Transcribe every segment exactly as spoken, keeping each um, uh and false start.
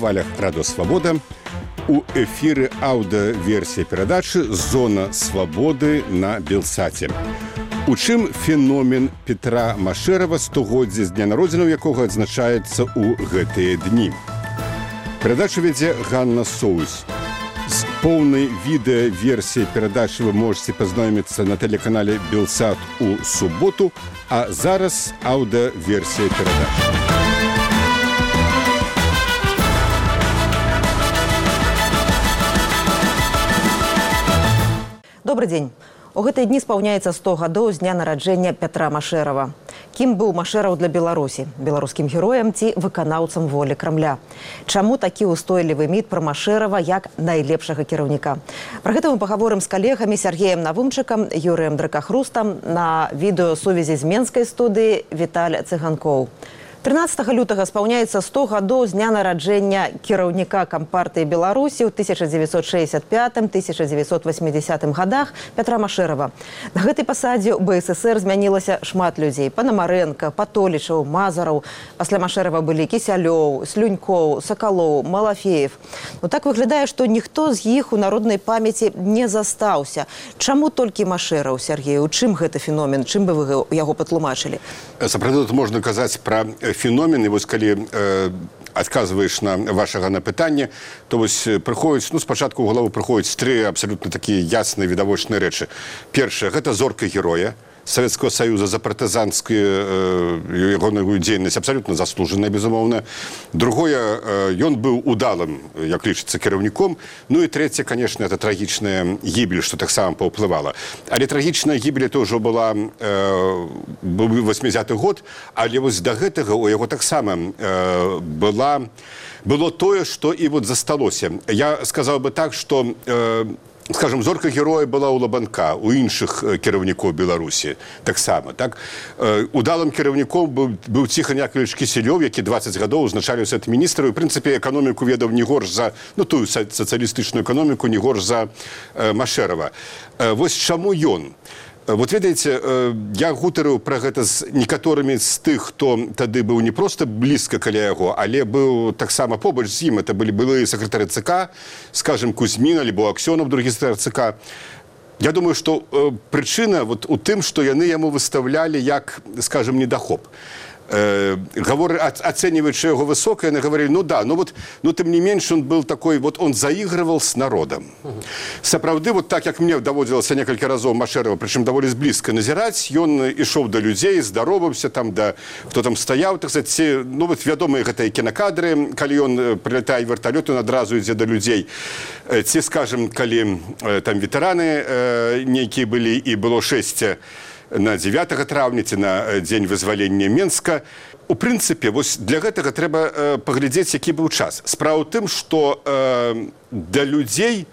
хвалях Радио Свобода. У эфіры аўдыаверсія перадачы «Зона свабоды» на Белсаце. У чым феномен Петра Машэрава, стагоддзе з дня народзінаў якога адзначаецца ў гэтыя дні. Перадачу вядзе Ганна Соус. З поўнай відэаверсіяй перадачы вы можете пазнаёміцца на тэлеканале Белсат у суботу, а зараз аўдыаверсія перадачы. Добрый дзень. У гэтыя дні спаўняецца сто гадоў з дня нараджэння Пятра Машэрава. Кім быў Машэраў для Беларусі? Беларускім героем ці выканаўцам волі Крамля? Чаму такі ўстойлівы міт пра Машэрава як найлепшага кіраўніка? Пра гэта мы пагаворым з калегамі Сергеем Навумчыкам, Юрыем Дракахрустам на відэасувязі з менскай студыі Віталь Цыганкоў. трынаццатага лютага спаўняецца сто гадоў з дня нараджэння кіраўніка Кампартыі Беларусі ў тысяча дзевяцьсот шэсцьдзясят пятым — тысяча дзевяцьсот васьмідзесятым гадах Пятра Машэрава. На гэтай пасадзе ў бэ эс эсэр змянілася шмат людзей. Панамарэнка, Патолічаў, Мазараў. Пасля Машэрава былі Кісялёў, Слюнькоў, Сакалоў, Малафеев. Ну так выглядае, што ніхто з іх у народнай памяці не застаўся. Чаму толькі Машэраў, Сергей? У чым гэты феномен? Чым бы вы яго патлумачылі? Сапраўды тут можна казаць пра феномен, і вось калі э, адказваеш на вашага на пытанне, то вось прыходзіць, ну, спачатку ў галаву прыходзяць тры абсалютна такія ясныя відавочныя рэчы. Першае, гэта зорка героя Савецкага Саюза за партызанскую э, ягоную дзейнасць, абсалютна заслужаная, безумоўна. Другое, ён э, быў удалым, як лічыцца, кіраўніком. Ну і трэцяе, конечно, это трагічная гібель, што таксама паўплывала. Але трагічная гібель это ўжо была э, быў васьмідзесяты год, але вось да гэтага у яго таксама э, была, было тое, што і вот засталося. Я сказаў бы так, што э, скажем, зорка героя была у Лабанка, у іншых кіраўнікоў Беларусі таксама. Так? Удалым кіраўніком быў, быў Ціхан Яковлевич Кісялёў, які дваццаць гадоў узначаліў Савет міністраў, і, в прынцыпе, эканоміку ведаў не горш за, ну, тую сацыялістычную эканоміку, не горш за э, Машэрава. Э, вось чаму ён? Вот ведаеце, я гутарыў пра гэта з некаторымі з тых, хто тады быў не проста блізка каля яго, але быў таксама побач з ім. Это былі былыя сакратары ЦК, скажем, Кузьмін альбо Аксёнов, другі сакратар ЦК. Я думаю, што прычына вот у тым, што яны яму выставлялі як, скажем, недахоп. Э, говоры, оцениваючи его высоко, они говорили, ну да, но вот, но тем не меньше он был такой, вот он заигрывал с народом. Uh-huh. Сапраўды, вот так, как мне доводилось несколько разов Машэрава, причем довольно близко назирать, он ішоў до людей, здоровался там, да, кто там стоял, так сказать, все, ну вот вядомые гэтыя кинокадры, калі он прилетает вертолет, он одразу идзе до людей. Те, скажем, калі там ветераны э, некие были, и было шесть на дзевятага траўня ці на дзень вызвалення Менска. У прынцыпе, вось для гэтага трэба э, паглядзець, які быў час. Справа ў тым, што э, для людзей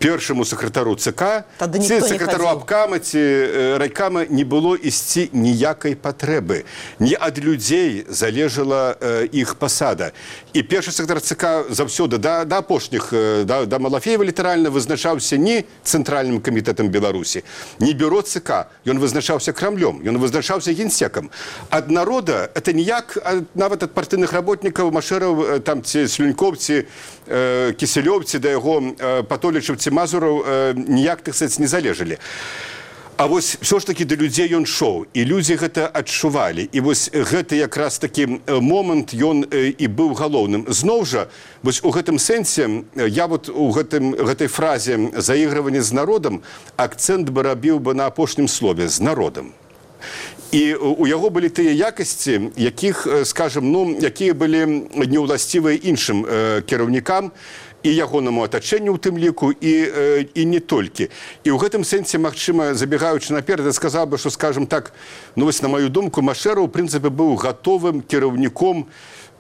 першаму сакратару ЦК, ці сакратару абкама, ці э, райкама не было ісці ніякай патрэбы. Не ад людзей залежала э, іх пасада. І першы сакратар ЦК заўсёды да, да апошніх, э, да, да Малафеева літаральна вызначаўся не Цэнтральным камітэтам Беларусі, не бюро ЦК. Ён вызначаўся Крамлём, ён вызначаўся генсекам. Ад народа, это ніяк, нават ад партыйных работнікаў, Машэраў, там, ці Слюнькоў, ці э, Кісялёў, ці да яго э, Патолічаў, ці Мазураў э, ніяк, так сказаць, не залежалі. А вось все ж таки да людзей ён шоў, і людзі гэта адчувалі. І вось гэты якраз такі момант ён э, і быў галоўным. Зноў жа, вось у гэтым сэнсе, я вот у гэтым, гэтай фразе «заігрыванне з народам» акцэнт бы рабіў бы на апошнім слове «з народам». І у яго былі тыя якасці, якіх, скажем, ну, якія былі неўласцівыя іншым э, кіраўнікам, і ягонаму атачэнню ў тым ліку, і, э, і не толькі. І ў гэтым сэнсе, магчыма, забегаючы наперад, я сказаў бы, што, скажем так, ну, вось, на маю думку, Машэраў, у прынцыпе, быў гатовым кіраўніком,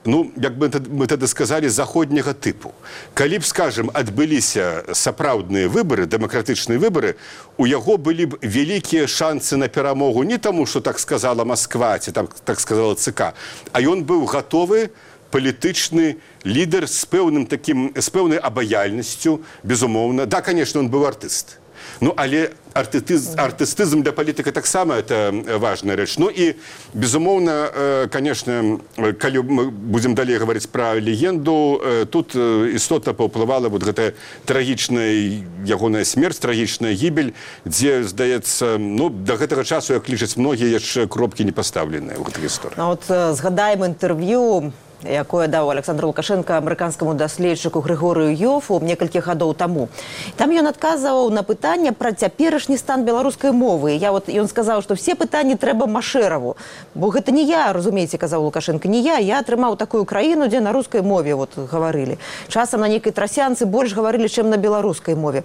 ну, як бы мы тады сказалі, заходняга тыпу. Калі б, скажем, адбыліся сапраўдныя выбары, дэмакратычныя выбары, у яго былі б вялікія шансы на перамогу не таму, што так сказала Масква, ці так, так сказала ЦК, а ён быў гатовы палітычны лідар з пэўным такім, з пэўнай абаяльнасцю, безумоўна. Да, конечно, он быў артыст. Ну але артыстызм, артыстызм для палітыка таксама это важная рэч. Ну і безумоўна, конечно, калі мы будзем далей гаварыць пра легенду, тут істотна паўплывала вот гэтая трагічная ягоная смерць, трагічная гібель, дзе, здаецца, ну, да гэтага часу, як лічаць многія, яшчэ кропкі не пастаўленыя ў гэтай гісторыі. А от згадаем інтэрв'ю, якое даў Александр Лукашенко амерыканскаму даследчыку Григорыю Йофу некалькі гадоў таму. Там ён адказваў на пытанне пра цяперашні стан беларускай мовы. Я вот, ён сказаў, што все пытанні трэба Машэраву. Бо гэта не я, разумееце, казаў Лукашенко, не я. Я атрымаў такую краіну, дзе на рускай мове вот, гаварылі. Часам на нейкай трасянцы больш гаварылі, чым на беларускай мове.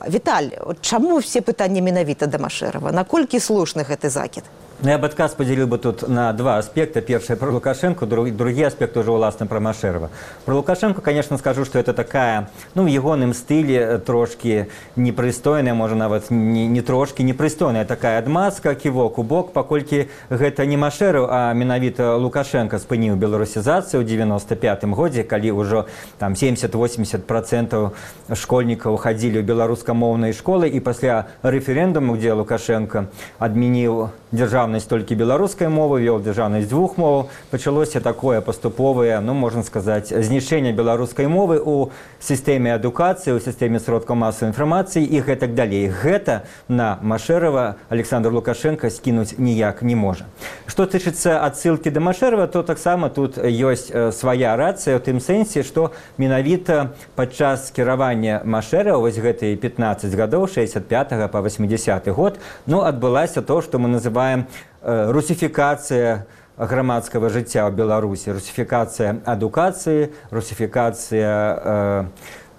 Віталь, чаму все пытанні менавіта да Машэрава? Наколькі слушны гэты закід? Ну, я бы отказ поделил бы тут на два аспекта. Первый про Лукашенко, друг, другой аспект уже властный про Машерова. Про Лукашенко, конечно, скажу, что это такая, ну, в егоном стиле трошки непристойная, может, нават не, не трошки, непристойная такая адмазка, кивок у бок, покольки это не Машеров, а менавіта Лукашенко спыніў беларусізацыю ў девяносто пятым годзе, калі ўжо там семьдесят-восемьдесят процентов школьников ходили в беларускамоўныя школы, и после референдума, где Лукашенко адмяніў державную толькі беларускай мовы, вёл дзяржаўнасць двух моваў, пачалося такое паступовае, ну, можна сказаць, знішчэнне беларускай мовы ў сістэме адукацыі, ў сістэме сродкаў масавай інфармацыі і гэтак далей. Гэта на Машэрава Александр Лукашенко скінуць ніяк не можа. Што тычыцца адсылкі да Машэрава, то таксама тут ёсць свая рацыя ў тым сэнсе, што менавіта падчас кіравання Машэрава, вось гэтыя пятнаццаць гадоў, шэсцьдзесят пятага па восьмидесяты год, ну, адбылася то, што мы называем русификация громадского жыцця ў Беларусі, русификация адукацыі, русификация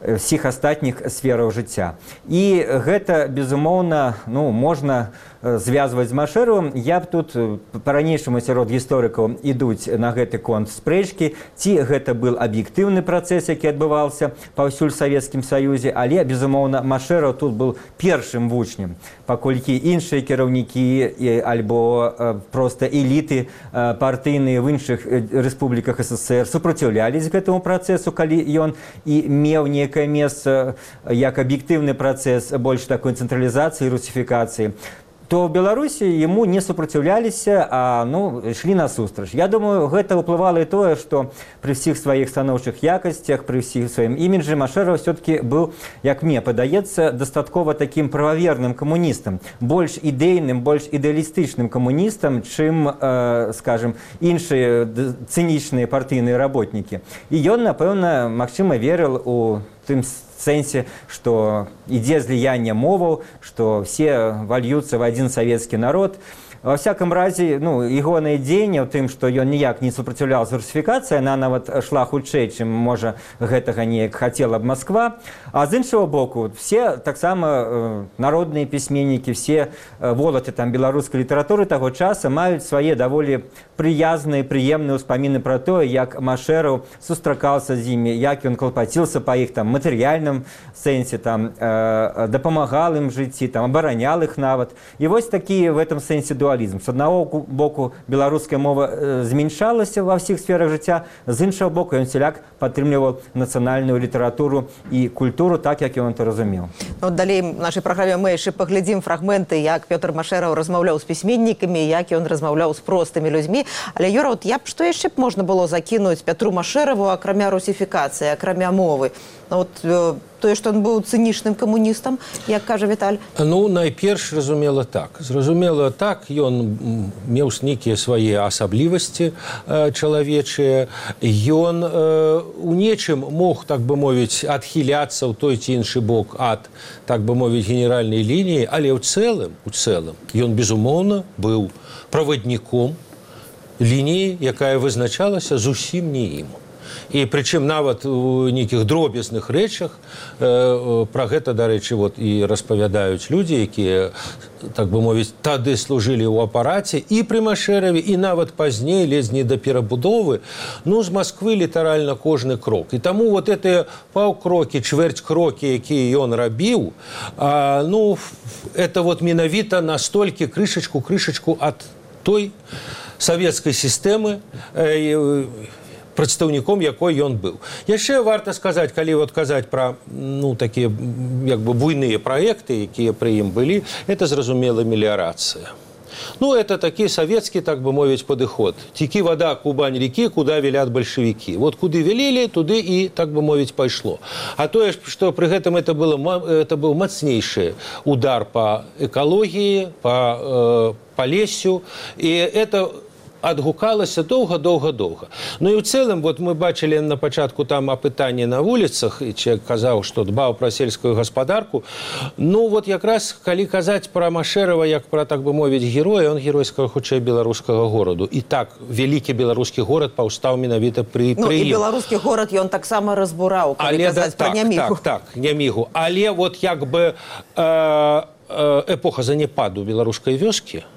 э, всіх астатніх сфераў жыцця. І гэта, безумоўна, ну, можна звязваць з Машэравым. Я б тут па-ранейшаму сярод гісторыкаў ідуць на гэты конт спрэчкі, ці гэта был аб'ектыўны працэс, які адбываўся паўсюль Савецкім Саюзе, але, безумоўна, Машэраў тут был першым вучнем, паколькі іншыя кіраўнікі альбо проста эліты партыйныя в іншых рэспубліках СССР супраціўлялись гэтаму працэсу, калі ён і меў некае месца як аб'ектыўны працэс больш такой цэнтралізацыі, русифікацыі, то в Беларусі ему не супраціўляліся, а, ну, ішлі насустрач. Я думаю, гэта ўплывала і тое, што пры ўсіх сваіх станоўчых якасцях, пры ўсіх сваім іміджы Машэраў все-таки быў, як мне падаецца, дастаткова такім прававерным камуністам, больш ідэйным, больш ідэалістычным камуністам, чым, э, скажем, іншыя цынічныя партыйныя работнікі. І ён, напэўна, магчыма, верыў у тым сэнсе, што ідзе зліянне моваў, што все вольются в один советский народ. Во всяком разе, ну, ягонае дзеянне ў тым, што ён ніяк не супраціўляўся русифікацыі, она нават шла хутчэй, чым, можа, гэтага неяк хацела б Москва. А з іншого боку, все таксама э, народныя пісьменнікі, все э, волаты там беларускай літаратуры таго часа маюць свае даволі прыязныя, прыемныя ўспаміны пра тое, як Машэраў сустракаўся з імі, як ён клапаціўся па іх там матэрыяльным сэнсе, там э, дапамагал ім жыцці, там абаранял іх нават. І вось такі в этом сэнсе дуалізм. С одного боку беларуская мова э, змяншалася во всіх сферах жыцця, з іншого боку ён сяляк падтрымліваў нацыянальную літаратуру і культуру так, як ён это разумеў. Ну, далей в нашай праграме мы яшчэ паглядзім фрагменты, як Пётр Машэраў размаўляў з пісьменнікамі, як ён размаўляў з простымі людзьмі. Але, Юра, вот я б што яшчэ б можна было закінуць Пятру Машэраву, акрамя русифікацыі, акрамя мовы? Ну, вот, э, тое, што ён быў цынічным камуністам, як кажа Віталь? Ну, найперш, зразумела так. Зразумела так, ён меў нейкія свае асаблівасці э, чалавечыя. Ён э, у нечым мог, так бы мовіць, адхіляцца ў той ці іншы бок ад, так бы мовіць, генеральнай лініі, але ў цэлым, у цэлым, ён, безумоўна, быў правадніком лініі, якая вызначалася зусім не ім. І прычым нават у нейкіх дробязных рэчах э, пра гэта, дарэчы, вот, і распавядаюць людзі, якія, так бы мовіць, тады служылі ў апараце і пры Машэраве, і нават пазней, ледзь не да перабудовы, ну, з Масквы літаральна кожны крок. І таму вот гэтыя паўкрокі, чвэрць крокі, якія ён рабіў, а, ну, это вот менавіта настолькі крышачку, крышачку ад той савецкай сістэмы, э, прадстаўніком якой ён быў. Яшчэ варта сказаць, калі вот казаць пра ну, такія як бы буйныя праекты, якія пры ім былі, это зразумела меліярацыя. Ну, это такі савецкі, так бы мовіць, падыход. Текі вода, Кубань рекі, куда велят бальшавікі. Вот куды велели, туды і, так бы мовіць, пайшло. А тое, што пры гэтым это, было, это быў мацнейшы удар па экалогіі, па, э, па лесю, і это адгукалася доўга-доўга-доўга. Ну і ў цэлым, вот мы бачылі на пачатку там апытанні на вуліцах, і чалавек казаў, што дбаў пра сельскую гаспадарку. Ну вот якраз, калі казаць пра Машэрава, як пра, так бы мовіць, героя, он геройскага, хутчэй, беларускага гораду. І так, вялікі беларускі горад паўстаў менавіта пры, ну, пры ім. І беларускі горад ён таксама разбураў, калі Але, казаць да, пра так, Нямігу. Так, так, Нямігу. Але вот як бы э, э, эпоха занепаду беларускай вёскі,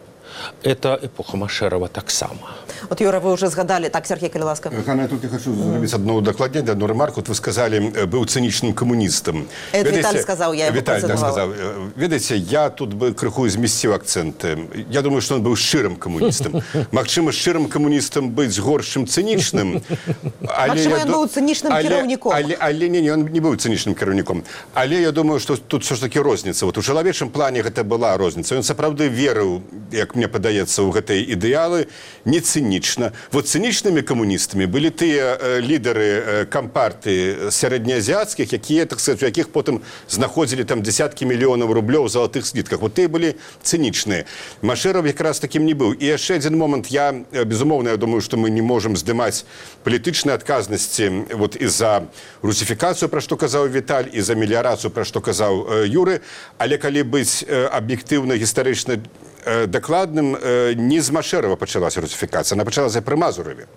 это эпоха Машэрава таксама. Вот, Юра, вы уже згадали. Так, Сергей, калі ласка. Ганна, я только хочу зрабіць одно удакладненне, одну ремарку. Вот вы сказали, быў цынічным камуністам. Это Виталь сказал, я его Виталь, да, сказал. Ведаеце, я тут бы крыху змесціў акценты. Я думаю, что он быў шчырым камуністам. Магчыма, шчырым камуністам быць горшым цынічным. Магчыма, ён быў цынічным кіраўніком. Але, але не, не, он не быў цынічным кіраўніком. Але я думаю, что тут все ж таки розніца. Вот у чалавечым плане гэта была розніца. Ён сапраўды верыў, як мне падаецца, у гэтыя ідэалы, не цынічна. Вот цынічнымі камуністамі былі тыя э, лідары э, кампарты сярэднеазіацкіх, якія, так сказать, у якіх потым знаходзілі там десяткі мільёнаў рублёў у залатых слітках. Вот тыя былі цынічныя. Машэраў якраз такім не быў. І яшчэ адзін момант. Я, безумоўна, я думаю, што мы не можам здымаць палітычнай адказнасці вот і за русіфікацыю, пра што казаў Віталь, і за меліярацыю, пра што казаў э, Юры. Але калі быць э, аб'ектыўна, гістарычна дакладным, не з Машэрава пачалася русіфікацыя, она пачалася пры Мазураве.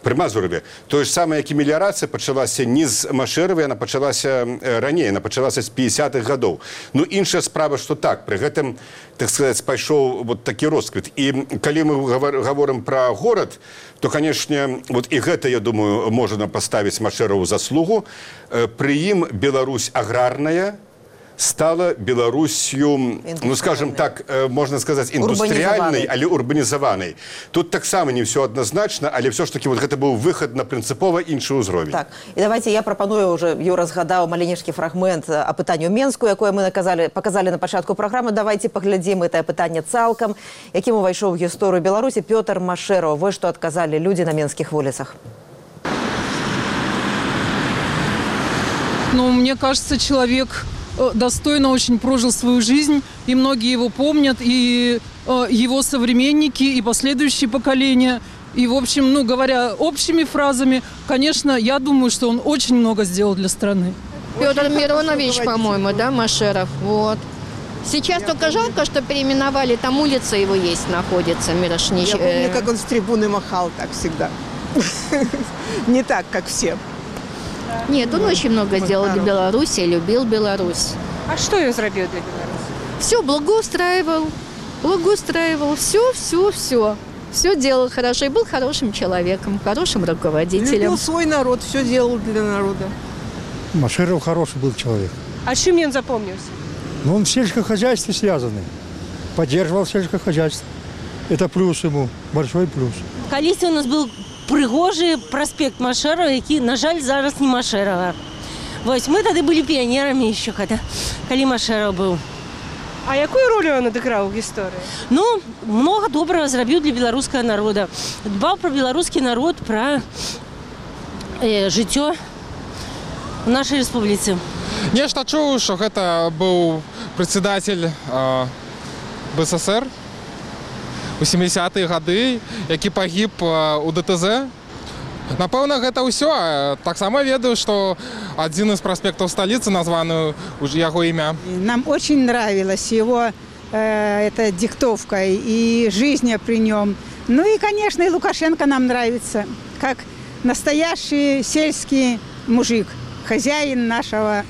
Пры Мазураве. Тое ж самае, як і меліярацыя пачалася не з Машэрава, яна пачалася раней, яна пачалася з пятидесятых гадоў. Ну, іншая справа, што так, пры гэтым, так сказаць, пайшоў вот такі росквіт. І калі мы гаворым пра горад, то, канешне, вот і гэта, я думаю, можна паставіць Машэраву заслугу. Пры ім Беларусь аграрная стала Беларусью, ну, скажем так, можно сказать, индустриальной, але урбанизованной. Тут так само не все однозначно, але все ж таки вот это был выход на принципово інший уровень. Так, і давайте я пропоную, уже Юра згадав маленький фрагмент опитання Менску, якое ми наказали, показали на початку програми. Давайте поглядим это опитання цалком, яким увайшов в історію Білорусі Петр Машэраў. Вот что отказали люди на менских улицах. Ну, мне кажется, человек достойно очень прожил свою жизнь, и многие его помнят, и э, его современники, и последующие поколения. И, в общем, ну, говоря общими фразами, конечно, я думаю, что он очень много сделал для страны. Петр Миронович, по-моему, да, Машэров, вот. Сейчас я только помню. Жалко, что переименовали, там улица его есть, находится, Мирошнич. Я помню, как он с трибуны махал так всегда. Не так, как все. Нет, он очень много сделал для Беларуси, любил Беларусь. А что он сделал для Беларуси? Все, благоустраивал, благоустраивал, все, все, все. Все делал хорошо и был хорошим человеком, хорошим руководителем. Любил свой народ, все делал для народа. Машэраў хороший был человек. А чем он запомнился? Но он в сельском хозяйстве связанный. Поддерживал сельское хозяйство. Это плюс ему, большой плюс. Колись у нас был прыгожий проспект Машэрава, який, на жаль, зараз не Машэрава. Вось, мы тады былі піянерамі еще, когда, калі Машэраў быў. А якую роль он адыграў в истории? Ну, много доброго зрабіў для беларускага народа. Дбаў про беларускі народ, про э, жыццё в нашай рэспубліцы. Нешта чуў, што гэта быў прадседатель э, БССР у сямідзясятыя гады, які пагіб у ДТЗ. Напэўна, гэта ўсё. Таксама ведаю, што адзін з праспектаў сталіцы названы яго імя. Нам очень нравилась его э, эта диктовка и жизнь при нем. Ну и, конечно, и Лукашенко нам нравится, как настоящий сельский мужик, хозяин нашего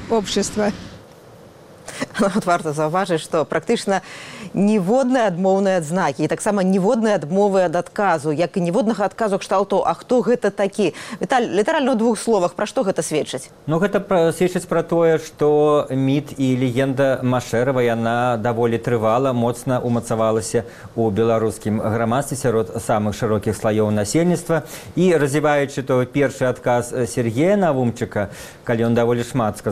общества. Вот варта заўважыць, што практычна ніводныя адмоўныя адзнакі і таксама ніводныя адмовы ад адказу, як і ніводнага адказу кшталту, а хто гэта такі. Віталь, літаральна ў двух словах, пра што гэта сведчыць? Ну, гэта пра- сведчыць пра тое, што міт і легенда Машэрава, яна даволі трывала, моцна умацавалася ў беларускім грамадстве сярод самых шырокіх слаёў насельніцтва. І развіваючы той першы адказ Сергея Навумчыка, калі ён даволі шмат сказаў,